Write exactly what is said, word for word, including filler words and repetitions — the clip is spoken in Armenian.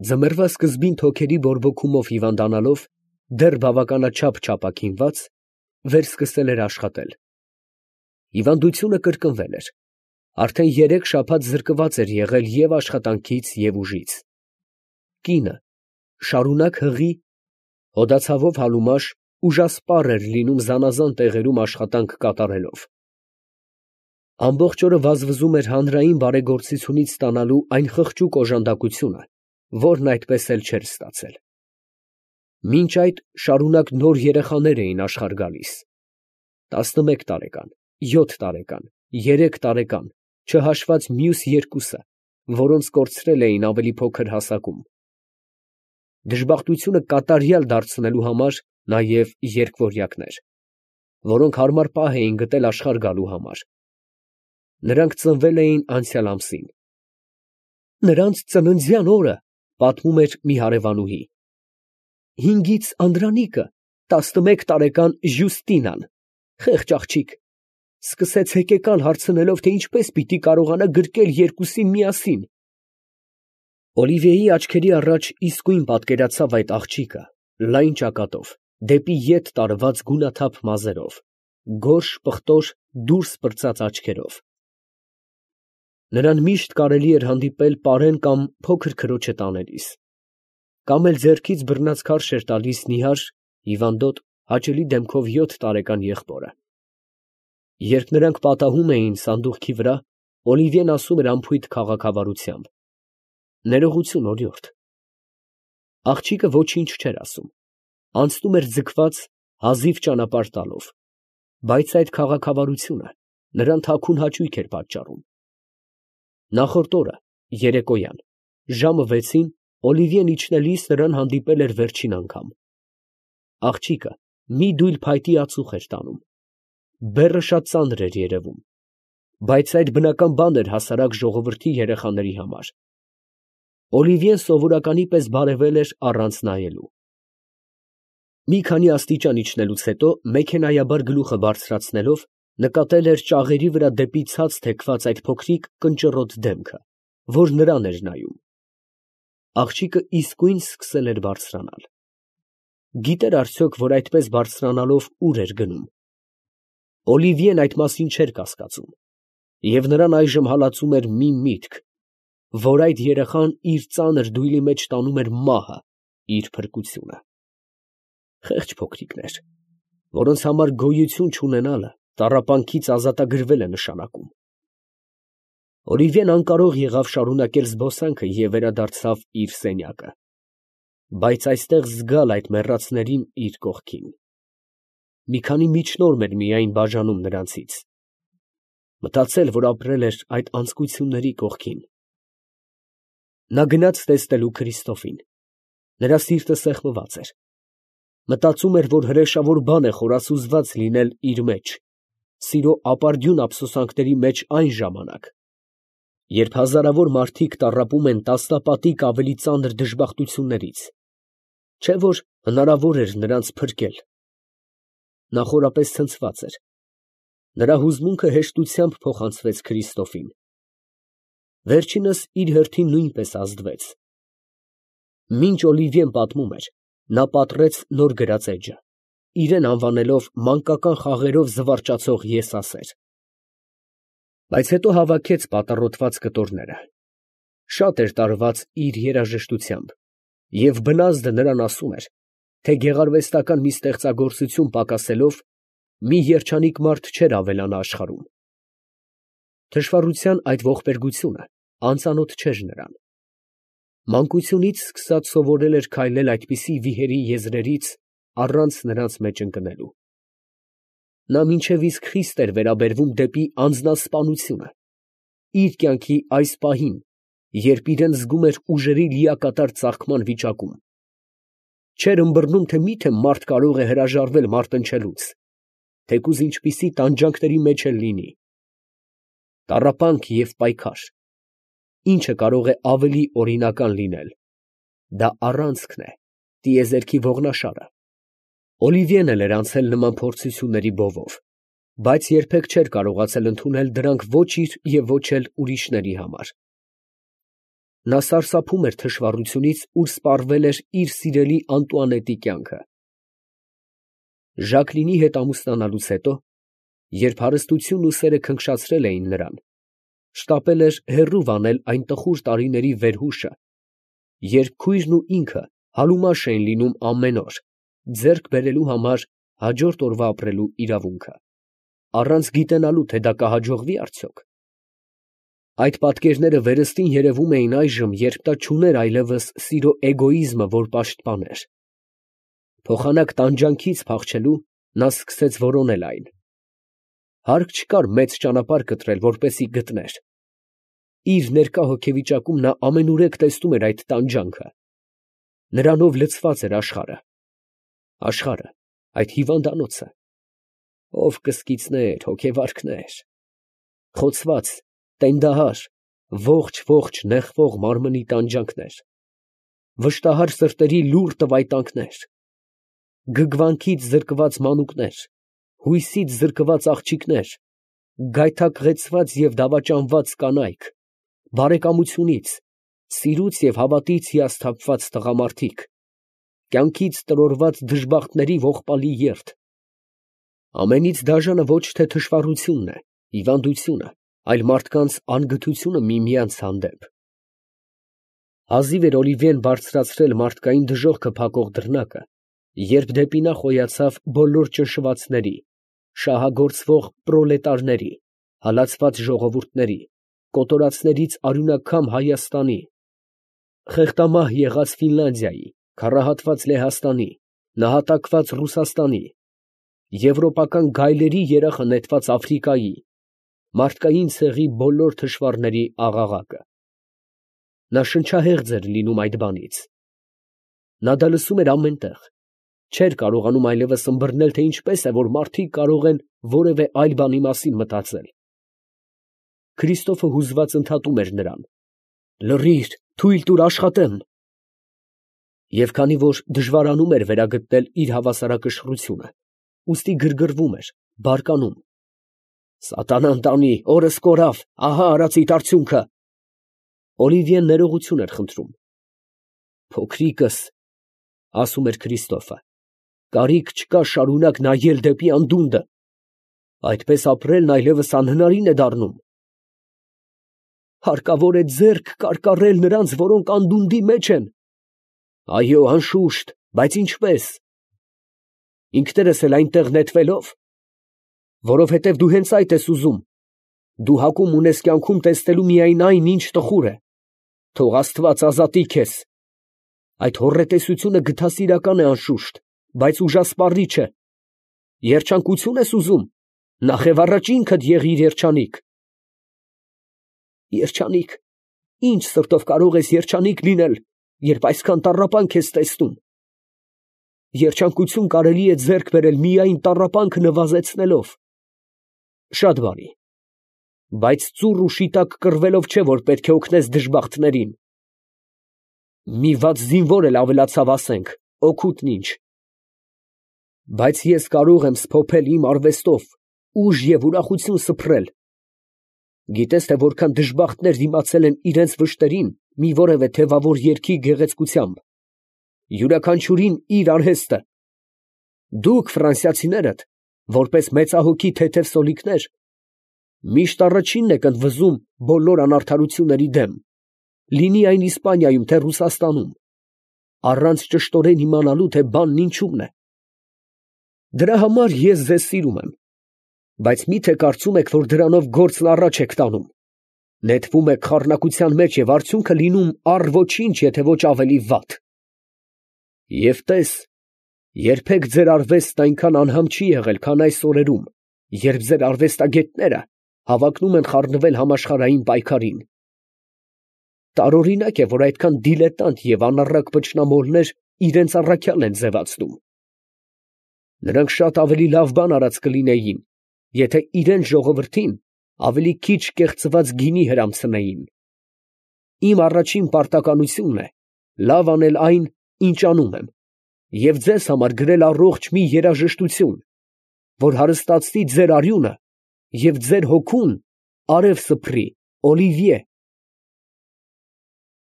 Ձմեռվա սկզբին թոքերի բորբոքումով հիվանդանալով, դեռ բավականաչափ չապաքինված, վերսկսել էր աշխատել։ Հիվանդությունը կրկնվել էր, արդեն երեք շաբաթ զրկված էր եղել և աշխատանքից և ուժից։ Կինը շարունակ հղի, հոդացավով հալումաշ, ուժասպառ էր լինում զանազան տեղերում աշխատանք կատարելով։ Ամբողջ օրը վազվզում էր հանրային բարեգործությունից ստանալու այն խղճուկ օժանդակությունը, որն այդպես էլ չէր ստացել։ Մինչ այդ շարունակ նոր երեխաներ էին աշխարհ գալիս. տասնմեկ տարեկան, յոթ տարեկան, երեք տարեկան, չհաշված մյուս երկուսը, որոնց կորցրել էին ավելի փոքր հասակում։ Դժբախտությունը կատարյալ դարձնելու համար նաև երկվորյակներ, որոնք հարմար պահ էին գտել աշխարհ գալու համար։ Նրանք ծնվել էին անցյալ ամսին։ Նրանց ծննդյան օրը, պատմում էր մի հարևանուհի, հինգից Անդրանիկը, տասնմեկ տարեկան Ժյուստինան, խեղճ աղջիկ, սկսեց հեկեկալ հարցնելով, թե ինչպես պիտի կարողանա գրկել երկուսին միասին։ Օլիվիեի աչքերի առաջ իսկույն պատկերացավ այդ աղջիկը, լայն ճակատով, դեպի ետ տարված գունաթափ մազերով, գորշ պղտոր դուրս պրծած աչքերով։ Նրան միշտ կարելի էր հանդիպել պարեն կամ փոքր քրոջը տանելիս, կամ էլ ձեռքից բռնած քարշ էր տալիս նիհար, հիվանդոտ, հաճելի դեմքով յոթ տարեկան եղբորը։ Երբ նրանք պատահում էին սանդուղքի վրա, Օլիվիեն ասում էր անփույթ քաղաքավարությամբ. «Ներողություն, օրիորդ»։ Աղջիկը ոչինչ չէր ասում, անցնում էր ձգված, հազիվ ճանապարհ տալով, բայց այդ քաղաքավարությունը նրան թաքուն հաճույք էր պատճառում։ Նախորդ օրը, երեկոյան, ժամը վեցին, Օլիվիեն իջնելիս նրան հանդիպել էր վերջին անգամ։ Աղջիկը մի դույլ փայտի ածուխ էր տանում։ Բեռը շատ ծանր էր երևում, բայց այդ բնական բան էր հասարակ ժողովրդի երեխաների համար։ Օլիվիեն սովորականի պես բարևել էր առանց նայելու։ Մի քանի աստիճան իջնելուց հետո, մեքենայաբար գլուխը բարձրացնելով, նկատել էր ճաղերի վրա դեպի ցած թեքված այդ փոքրիկ կնճռոտ դեմքը, որ նրան էր նայում։ Աղջիկը իսկույն սկսել էր բարձրանալ։ Գիտեր արդյոք, որ այդպես բարձրանալով ուր էր գնում։ Օլիվիեն այդ մասին չէր կասկածում, և նրան այժմ հալածում էր մի միտք, որ այդ երեխան իր ծանր դույլի մեջ տանում էր մահը, իր փրկությունը։ Խեղճ փոքրիկներ, որոնց համար գոյություն չունենալը տառապանքից ազատագրվել է նշանակում։ Օլիվիեն անկարող եղավ շարունակել զբոսանքը և վերադարձավ իր սենյակը, բայց այստեղ զգալ այդ մեռածներին իր կողքին։ Մի քանի միջնորմ էր միայն բաժանում նրանցից։ Մտածել, որ ապրել էր այդ անձկությունների կողքին։ Նա գնաց տեսնելու Քրիստոֆին։ Նրա սիրտը սեղմված էր։ Մտածում էր, որ հրեշավոր բան է խորասուզված լինել իր մեջ, սիրո ապարդյուն ափսոսանքների մեջ այն ժամանակ, երբ հազարավոր մարդիկ տառապում են տասնապատիկ ավելի ծանր դժբախտություններից, չէ՞ որ հնարավոր էր նրանց փրկել։ Նա խորապես ցնցված էր։ Նրա հուզմունքը հեշտությամբ փոխանցվեց Քրիստոֆին։ Վերջինս իր հերթին նույնպես ազդվեց։ Մինչ Օլիվիեն պատմում էր, նա պատռեց նոր գրած էջը, իրեն անվանելով մանկական խաղերով զվարճացող եսասեր։ Բայց հետո հավաքեց պատառոտված կտորները։ Շատ էր տարված իր երաժշտությամբ, և բնազդը նրան ասում էր, թե գեղարվեստական մի ստեղծագործություն պակասելով, մի երջանիկ մարդ չէր ավելանա աշխարհում։ Թշվառության այդ ողբերգությունը անծանոթ չէր նրան։ Մանկությունից սկսած սովորել էր քայլել այդպիսի վիհերի եզրերից առանց նրանց մեջ ընկնելու։ Նա մինչև իսկ խիստ էր վերաբերվում դեպի անձնասպանությունը, իր կյանքի այս պահին, երբ իրան զգում էր ուժերի լիակատար ծաղկման վիճակում։ Չէր ըմբռնում, թե մի՞թե մարդ կարող է հրաժարվել մարտնչելուց, թեկուզ ինչպիսի տանջանքների մեջ էլ լինի։ Տառապանք և պայքար, ի՞նչը կարող է ավելի օրինական լինել։ Դա առանցքն է, տիեզերքի ողնաշարը։ Օլիվիեն էլ էր անցել նման փորձությունների բովով, բայց երբեք չէր կարողացել ընդունել դրանք ոչ իր և ոչ էլ ուրիշների համար։ Նա սարսափում էր թշվառությունից, ուր սպառվել էր իր սիրելի Անտուանետի կյանքը։ Ժակլինի հետ ամուսնանալուց հետո, երբ հարստությունն ու սերը քնքշացրել էին նրան, շտապել էր հեռու վանել այն տխուր տարիների վերհուշը, երբ քույրն ու ինքը համեմաշ էին լինում ամեն օր, ձեռք բերելու համար հաջորդ օրվա ապրելու իրավունքը, առանց գիտենալու, թե դա կհաջողվի արդյոք։ Այդ պատկերները վերստին երևում էին այժմ, երբ նա չուներ այլևս սիրո էգոիզմը, որ պաշտպաներ։ Փոխանակ տանջանքից փախչելու նա սկսեց որոնել այն։ Հարկ չկար մեծ ճանապարհ կտրել, որպեսզի գտներ։ Իր ներկա հոգեվիճակում նա ամենուրեք տեսնում էր այդ տանջանքը։ Նրանով լցված էր աշխարհը։ Աշխարհը, այդ հիվանդանոցը։ Ով կսկիծներ, հոգեվարքներ, խոցված, տենդահար, ողջ֊ողջ նեղվող մարմնի տանջանքներ, վշտահար սրտերի լուռ տվայտանքներ, գգվանքից զրկված մանուկներ, հույսից զրկված աղջիկներ, գայթակղեցված և դավաճանված կանայք, բարեկամությունից, սիրուց և հավատից հիասթափված տղամարդիկ, կյանքից տրորված դժբախտների ողբալի երթ։ Ամենից դաժանը ոչ թե թշվառությունն է, հիվանդությունը, այլ մարդկանց անգթությունը միմյանց հանդեպ։ Հազիվ էր Օլիվիեն բարձրացրել մարդկային դժոխքը փակող դռնակը, երբ դեպի նա խոյացավ բոլոր ճնշվածների, շահագործվող պրոլետարների, հալածված ժողովուրդների, կոտորածներից արյունակամ Հայաստանի, խեղդամահ եղած Ֆինլանդիայի, քառահատված Լեհաստանի, նահատակված Ռուսաստանի, եվրոպական գայլերի երախը նետված Աֆրիկայի, մարդկային ցեղի բոլոր թշվառների աղաղակը։ Նա շնչահեղձ էր լինում այդ բանից։ Նա դա լսում էր ամեն տեղ, չէր կարողանում այլևս ըմբռնել, թե ինչպես է, որ մարդիկ կարող են որևէ այլ բանի մասին մտածել։ Քրիստոֆը հուզված ընդհատում էր նրան. «Լռի՛ր, թույլ տուր աշխատեմ»։ Եվ քանի որ դժվարանում էր վերագտնել իր հավասարակշռությունը, ուստի գրգռվում էր, բարկանում։ «Սատանան տանի, օրս կորավ, ահա արածիդ արդյունքը»։ Օլիվիեն ներողություն էր խնդրում։ «Փոքրիկս», ֊ ասում էր Քրիստոֆը, ֊ կարիք չկա շարունակ նայել դեպի անդունդը. այդպես ապրելն այլևս անհնարին է դառնում։ Հարկավոր է ձեռք կարկառել նրանց, որոնք անդունդի մեջ են։ Այո, անշուշտ, բայց ինչպե՞ս։ Ինքներս էլ այնտեղ նետվելով։ Որովհետև դու հենց այդ ես ուզում։ Դու հակում ունես կյանքում տեսնելու միայն այն, ինչ տխուր է։ Թող Աստված ազատի քեզ։ Այդ հոռետեսությունը գթասիրական է անշուշտ, բայց ուժասպառիչ է։ Երջանկություն ես ուզում, նախև առաջ ինքդ եղիր երջանիկ։ Երջանիկ, ինչ սրտով կարող ես երջանիկ լինել, երբ այսքան տառապանք ես տեսնում։ Երջանկություն կարելի է ձեռք բերել միայն տառապանքը նվազեցնելով։ Շատ բարի, բայց ծուռ ու շիտակ կռվելով չէ, որ պետք է օգնես դժբախտներին։ Մի վատ զինվոր էլ ավելացավ, ասենք, օգուտն ինչ։ Բայց ես կարող եմ սփոփել իմ արվեստով, ուժ և ուրախություն սփռել։ Գիտես, թե որքան դժբախտներ դիմացել են իրենց վշտերին մի որևէ թևավոր երգի գեղեցկությամբ։ Յուրաքանչյուրին իր արհեստը։ Դուք, ֆրանսիացիներդ, որպես մեծահոգի թեթև սոլիկներ, միշտ առաջինն եք ընդվզում բոլոր անարդարությունների դեմ, լինի այն Իսպանիայում, թե Ռուսաստանում, առանց ճշտորեն իմանալու, թե բանն ինչումն է։ Դրա համար ես ձեզ սիրում եմ, բայց մի՞թե կարծում եք, որ դրանով գործն առաջ եք տանում։ Նետվում եք խառնակության մեջ և արդյունքը լինում առ ոչինչ, եթե ոչ ավելի վատ։ Եվ տես, երբեք ձեր արվեստն այնքան անհամ չի եղել, քան այս օրերում, երբ ձեր արվեստագետները հավակնում են խառնվել համաշխարհային պայքարին։ Տարօրինակ է, որ այդքան դիլետանտ և անառակ վճռամոլներ իրենց առաքյալ են ձևացնում։ Նրանք շատ ավելի լավ բան արած կլինեին, եթե իրենց ժողովրդին ավելի քիչ կեղծված գինի հրամցնեին։ Իմ առաջին պարտականությունն է լավ անել այն, ինչ անում եմ, և ձեզ համար գրել առողջ մի երաժշտություն, որ հարստացնի ձեր արյունը և ձեր հոգուն արև սփռի, Օլիվիե։